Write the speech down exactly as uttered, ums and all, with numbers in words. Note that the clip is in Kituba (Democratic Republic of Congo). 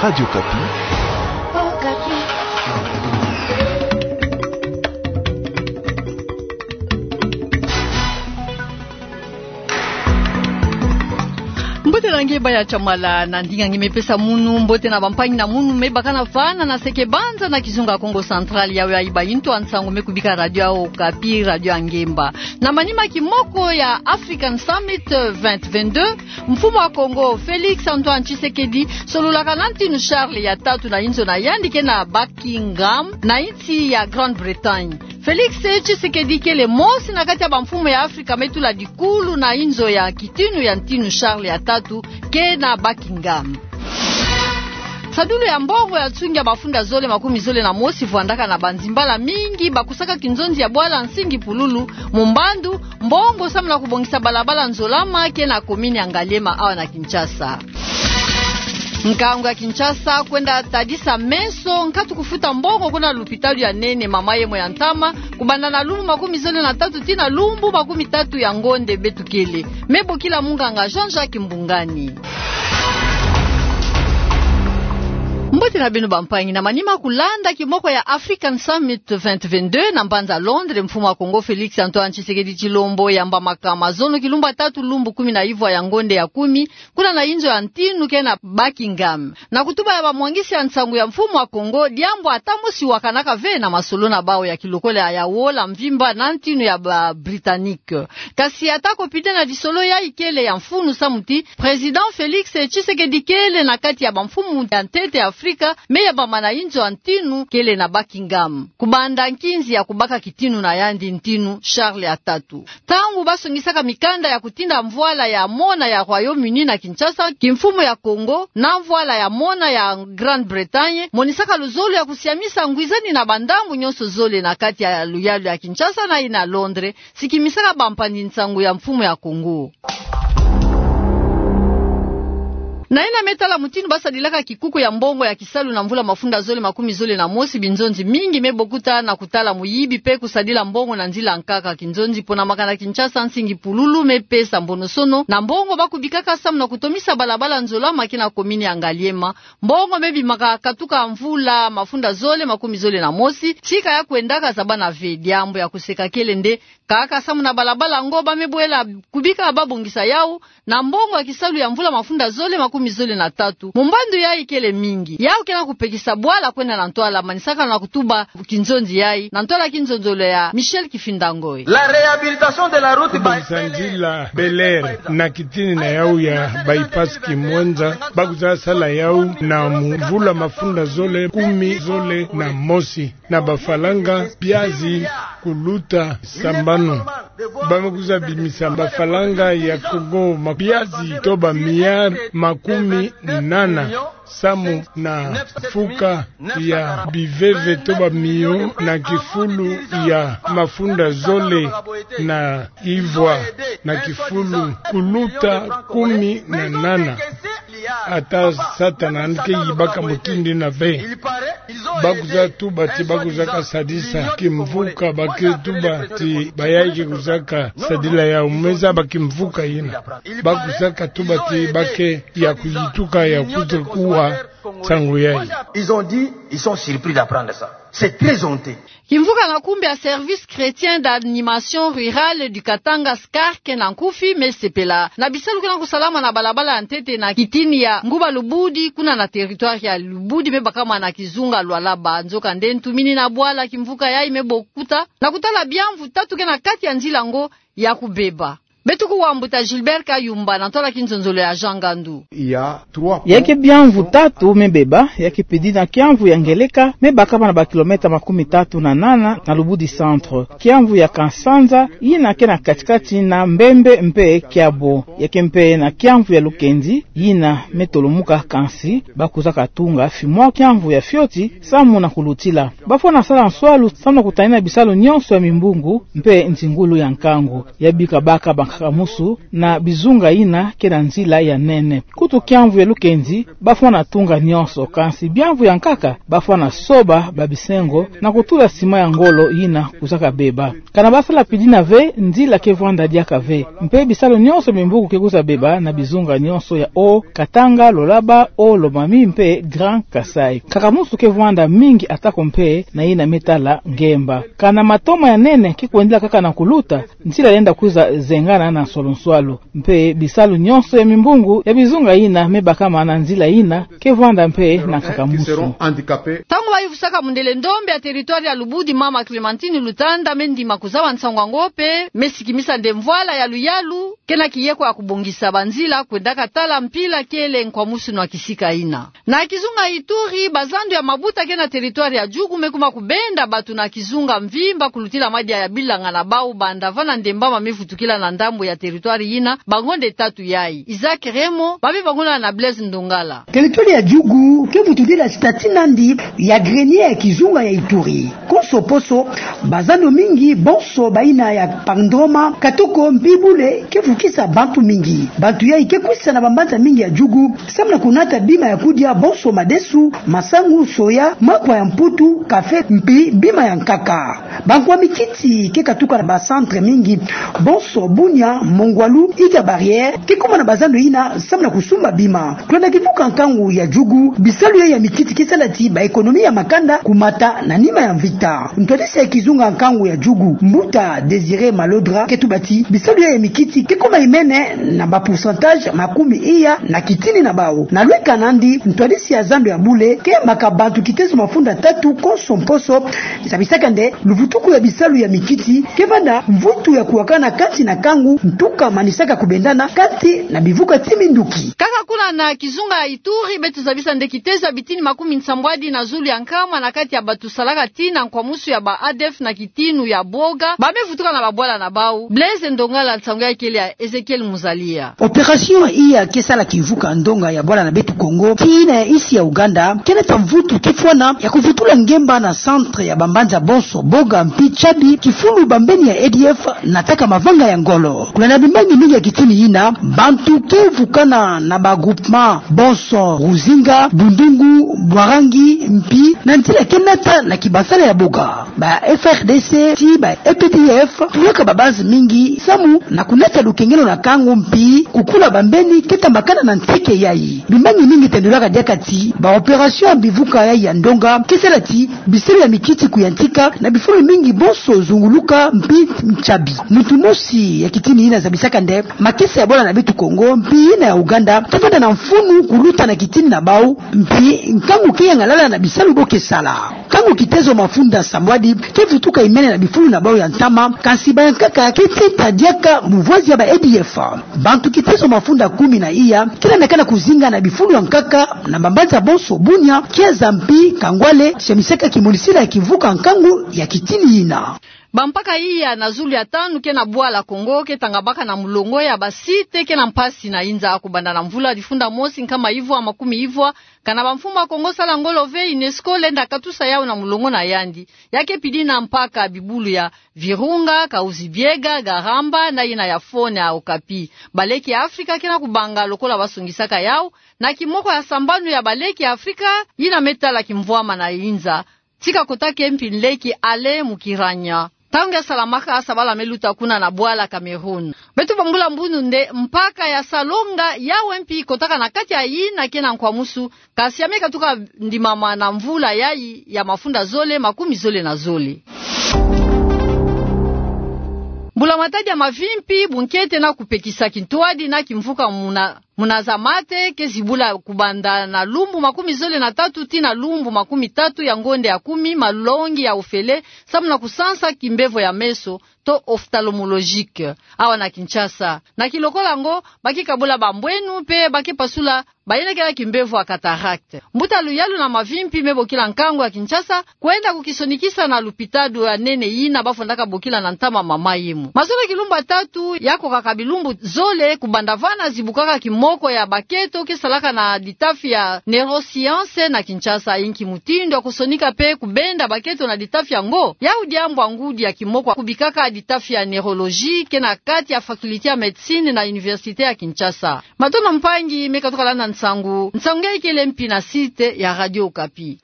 Radio Okapi. Mbote na nge baya Chamala, na ndinga nge me pesa munu mbote na bampangi na munu me baka na fana na seke banza na kizunga Kongo Central, yawe ya iba intu a nsangu me kubika Radio Okapi, Radio ya ngemba. Na manima kimoko ya African Summit vingt vingt-deux, mfumu wa Kongo Félix Antoine Tshisekedi sololaka na ntinu Charles ya tatu na inzo na yandi ke na Buckingham, na insi ya Grande-Bretagne. Félix Tshisekedi kele mosi na kati ya bamfumu ya Afrika me tula dikulu na inzo ya kitinu ya ntinu Charles ya tatu ke na Buckingham. Sadulu ya mbongo ya nsungi ya mafunda zole makumi zole na mosi vwandaka na banzimbala mingi bakusaka kinzonzi ya bwala Nsingi Pululu, mu mbandu mbongo samu na kubongisa balabala Nzolama ke na komini ya Ngaliema awa na Kinshasa. Nkangu ya Kinshasa kwenda tadisa meso nkatu kufuta mbongo kuna lupitalu ya nene mama yemo ya ntama, kubanda na lumbu makumi zole na tatu tii na lumbu makumi tatu ya ngonde beto kele. Me bokila munganga Jean-Jacques Mbungani. Mbote na beno bampangi, na manima kulanda kimoko ya African Summit vingt vingt-deux na mbanza Londres, mfumu wa Kongo Félix Antoine Tshisekedi Tshilombo yambamaka mazono kilumbu tatu lumbu kumi na ivwa ya ngonde ya kumi, kuna na inzo ya ntinu ke na Buckingham, na kutuba ya bamwangisi ya nsangu ya mfumu wa Kongo, diambu ata mosi wakanaka ve na masolo na bawu ya kilokola ya wola mvimba na ntinu ya ba Britanniques. Kasi ata ko pide na lisolo yayi kele ya mfunu samu ti Président Félix Tshisekedi kele na kati ya bamfumu ya ntete ya Afrika me yambama na inzo ya ntinu kele na Buckingham, kubanda nkinzi ya kubaka kitinu na yandi ntinu Charles ya tatu. Ntangu basongisaka mikanda ya kutinda mvwala ya mona ya Royaume-Uni na Kinshasa, kimfumu ya Kongo, na mvwala ya mona ya Grande-Bretagne, monisaka luzolo ya kusiamisa ngwizani na bandambu nyonso zole na kati ya luyalu ya Kinshasa na yina Londres, sikimisaka bampangi-nsangu ya mfumu ya Kongo. Na yina me tala mutinu basadilaka kikuku ya mbongo ya kisalu na mvula mafunda zole makumi zole na mosi, binzonzi mingi me bokuta na kutala muyibi pe kusadila mbongo na nzila nkaka. Kinzonzi ponamaka na Kinshasa, Nsingi Pululu me pesa mbonosono na mbongo bakubikaka samu na kutomisa balabala Nzolama ke na komini ya Ngaliema. Mbongo me bimaka katuka mvula mafunda zole makumi zole na mosi, tika ya kwendaka zabana ve. Diambu ya kuseka kele nde kaka samu na balabala yango ba me bwela kubika babongisa yawu na mbongo ya kisalu ya mvula mafunda zole makumi zole na tatu. Mu mbandu yayi kele mingi. Yawu ke na kupekisa bwala kwenda na ntwala, manisaka na kutuba kinzonzi yayi na ntwala kinzonzolo ya Michel Kifinda Ngoy. La réhabilitation de la route. Kubongisa nzila Bel Air na kitini na yawu ya bypass Kimwenza, bakwiza sala yawu na mvula mafunda zole kumi zole na mosi. Na bafalanga biazi kuluta sambanu. Ba me kwiza bimisa bafalanga ya Kongo ma biazi to ba milliards makumi nana, samu na mfuka ya biveve to ba millions na kifulu ya mafunda zole na ivwa na kifulu kuluta kumi na nana. Ata Satana yandi ke yibaka mutindu yina ve. Bakwiza tuba ti bakwiza kasadisa kimvuka, ba ke tuba ti bayayi ke kwizaka sadila yawu, mu me zaba kimvuka yina. Bakwiza katuba ti ba ke ya kuyituka ya kwiza kuwa nsangu yayi. Ils ont dit, ils sont surpris d'apprendre ça. C'est très honteux. Kimvuka na nkumbu ya Service Chrétien d'Animation Rurale du Katanga, SCARC na nkufi, me sepela na bisalu ke na kusalama na balabala ya ntete na kitini ya Nguba Lubudi, kuna na territoire ya Lubudi, me bakama na kizunga Lualaba. Nzokande ntumini na bwala kimvuka yayi me bokuta na kutala biamvu tatu ke na kati ya nzila yango ya kubeba. Beto kuwa mbuta Gilbert Kayumba na ntwala kinzonzolo ya Jean Ngandu. Ya ke biamvu tatu me beba, ya ke pedi na kiamvu ya Ngeleka, me bakama na ba kilomètres makumi tatu na nana na Lubudi centre. Kiamvu ya Kansanza, yina ke na kati-kati na Mbembe mpe Kiabo. Ya ke mpe na kiamvu ya Lukenzi, yina me tolomuka kansi, bakwiza katunga fimwa kiamvu ya fioti, samu na kulutila. Bafwana sala nswalu samu na kutanina bisalu nyonso ya mimbungu mpe nzingulu ya nkangu. Ya bika baka ba nkaka musu na bizunga yina ke na nzila ya nene. Kutu kiamvu ya lukenzi, bafwana tunga nionso, kansi biamvu ya nkaka, bafwana soba babisengo na kutula sima ya ngolo yina kwiza kabeba. Kana basala pidina ve, nzila ke vwanda diaka ve. Mpe bisalu nionso ya mimbungu ke kwiza beba na bizunga nionso ya Haut-Katanga, Lualaba, Haut-Lomami mpe Grand Kasaï. Nkaka musu ke vwanda mingi atako mpe na yina me tala ngemba. Kana matoma ya nene ke kwendela kaka na kuluta, nzila lenda kwiza zengana na nswalo-nswalo. Mpe bisalu nionso ya mimbungu ya bizunga yina me bakama na nzila yina ke vwanda mpe na nkaka musu. Ntangu bayuvusaka mundele ndombe ya territoire ya Lubudi, mama Clémentine Lutanda me ndima kuzaba nsangu yango mpe me sikimisa nde mvwala ya luyalu ke na kiyeko ya kubongisa banzila kwendaka tala mpila kele nkwamusunu ya kisika yina. Na kizunga Ituri, bazando ya mabuta ke na territoire ya Djugu me kuma kubenda bato na kizunga mvimba kulutila madia ya bilanga na bau, banda vana nde mbama me vutukila na ndambu ya territoire yina bangonde tatu yayi. Isaac Remo, babi banguna na Blaise Ndongala. Territoire ya Djugu ke vutudila statut nandi ya grenier ya kizunga ya Ituri. Konso poso, bazando mingi, bonso bayina ya Pandroma, Katoko mpe Bule, ke vukisa bantu mingi. Bantu yayi ke kwisa na bambanza mingi ya Djugu, samu na kunata bima ya kudia, bonso madesu, masangu, soya, makwa ya mputu, kafe, mpe bima ya nkaka. Bankwa mikiti ke katuka na ba centre mingi, bonso Bunia, Mongwalu, Île ya Barrière, ke kuma na bazando yina samu na kusumba bima. Kulanda kivuka nkangu ya Djugu, bisalu yayi ya mikiti ke sala ti ba économie ya makanda kumata na nima ya mvita. Ntwadisi ya kizunga nkangu ya Djugu, mbuta Désiré Malodra, ke tuba ti bisalu yayi ya mikiti ke kuma imene na ba pourcentage makumi iya na kitini na bau. Na lweka nandi, ntwadisi ya zando ya Bule ke yambaka bantu kitezo mafunda tatu konso mposo, zabisaka nde luvutuku ya bisalu ya mikiti ke vanda mvutu ya kuwakana kati na nkangu, ntuka manisaka kubendana kati na bivuka ti minduki. Kaka kuna na kizunga ya Ituri, beto zabisa nde kitezo ya bitini makumi nsambwadi na zulu ya nkama na kati ya bato salaka tina nkwamusu ya ba A D F na kitinu ya boga, ba me vutuka na babwala na bau. Blaise Ndongala, nsangu yayi kele ya Ezekiel Muzalia. Opération iya ke sala kivuka ndonga ya bwala na beto Kongo, tii na ya isi ya Ouganda, ke nata mvutu ke fwana ya kuvutula ngemba na centre ya bambanza bonso, Boga mpe Ntshabi, kifulu bambeni ya A D F nataka mavanga ya ngolo. Kulanda bimbangi mingi ya kitini yina, bantu ke vukana na ba groupement bonso, Ruzinga, Bundungu, Bwarangi, mpe na nzila ke nata na kibasala ya Boga. Ba F A R D C tii ba U P D F tulaka ba base mingi samu na kunata lukengelo na nkangu mpe kukula bambeni ke tambakana na nseke yayi. Bimbangi mingi tendulaka diaka ti ba opération ya bivuka yayi ya ndonga ke sala ti bisalu ya mikiti kuyantika na bifulu mingi bonso zunguluka mpe Ntshabi. Muntu mosi ya kitini yina zabisaka nde makesa ya bwala na beto Kongo mpe yina ya Ouganda ke vanda na mfunu kuluta na kitini na bau, mpe nkangu ke yangalala na bisalu bo ke sala. Nkangu kitezo mafunda nsambwadi ke vutuka imene na bifulu na bau ya ntama, kansi bayankaka ke teta diaka muvwazi ya ba A D F. Bantu kitezo mafunda kumi na iya ke landakana kuzinga na bifulu ya nkaka na bambanza bonso Bunia, Kiaza mpe Kangwale, zamisaka kimonisila ya kivuka nkangu ya kitini yina. Bampaka iya na zulu ya tanu ke na bwala Kongo ke tangabaka na mulongo ya ba site ke na mpasi na inza, kubanda na mvula difunda mosi nkama ivwa makumi ivwa. Kana bamfumu ya Kongo sala ngolo ve, UNESCO lenda katusa yau na mulongo na yandi. Ya ke pidi na mpaka bibulu ya Virunga, Kahuzi-Biega, Garamba na yina ya Faune ya Okapi. Baleki ya Afrika ke na kubanga lokola basongisaka yau na kimoko ya sambanu ya baleki ya Afrika yina me tala kimvwama na inza. Tika kota ke mpi nleki Alain Mukiranya. Ntangu ya salamaka, sabala me luta kuna na bwala Cameroun. Beto bambula mbunu nde mpaka ya Salonga, yawu mpi kotaka na kati ya yina ke na nkwamusu, kasi ya me katuka ndimama na mvula yayi ya mafunda zole makumi zole na zole. Mbula Matadi ya mavimpi, bunkete na kupekisa kintwadi na kimvuka muna muna za mate ke zibula kubanda na lumbu makumi zole na tatu tii na lumbu makumi tatu ya ngonde ya kumi, malongi ya ofele samu na kusansa kimbevo ya meso to ophtalmologique awa na Kinshasa. Na kilokola yango, ba ke kabula bambwenu mpe ba ke pasula bayina ke na kimbevo ya cataracte. Mbuta luyalu na mavimpi me bokila nkangu ya Kinshasa kwenda kukisonikisa na lupitalu ya nene yina ba fondaka bokila na ntama Mama Yemo. Mazono kilumbu ya tatu ya kokaka bilumbu zole kubanda vana zibukaka ki moko ya baketo ke salaka na ditafi ya neuroscience na Kinshasa. Inki mutindu ya kusonika pe kubenda baketo na ditafi yango, yau diambu ya ngudi ya kimoko kubikaka ditafi ya neurologie ke na kati ya faculté ya médecine na université ya Kinshasa. Matondo mpangi me katuka landa nsangu. Nsangu nge ikele mpi na site ya Radio Okapi.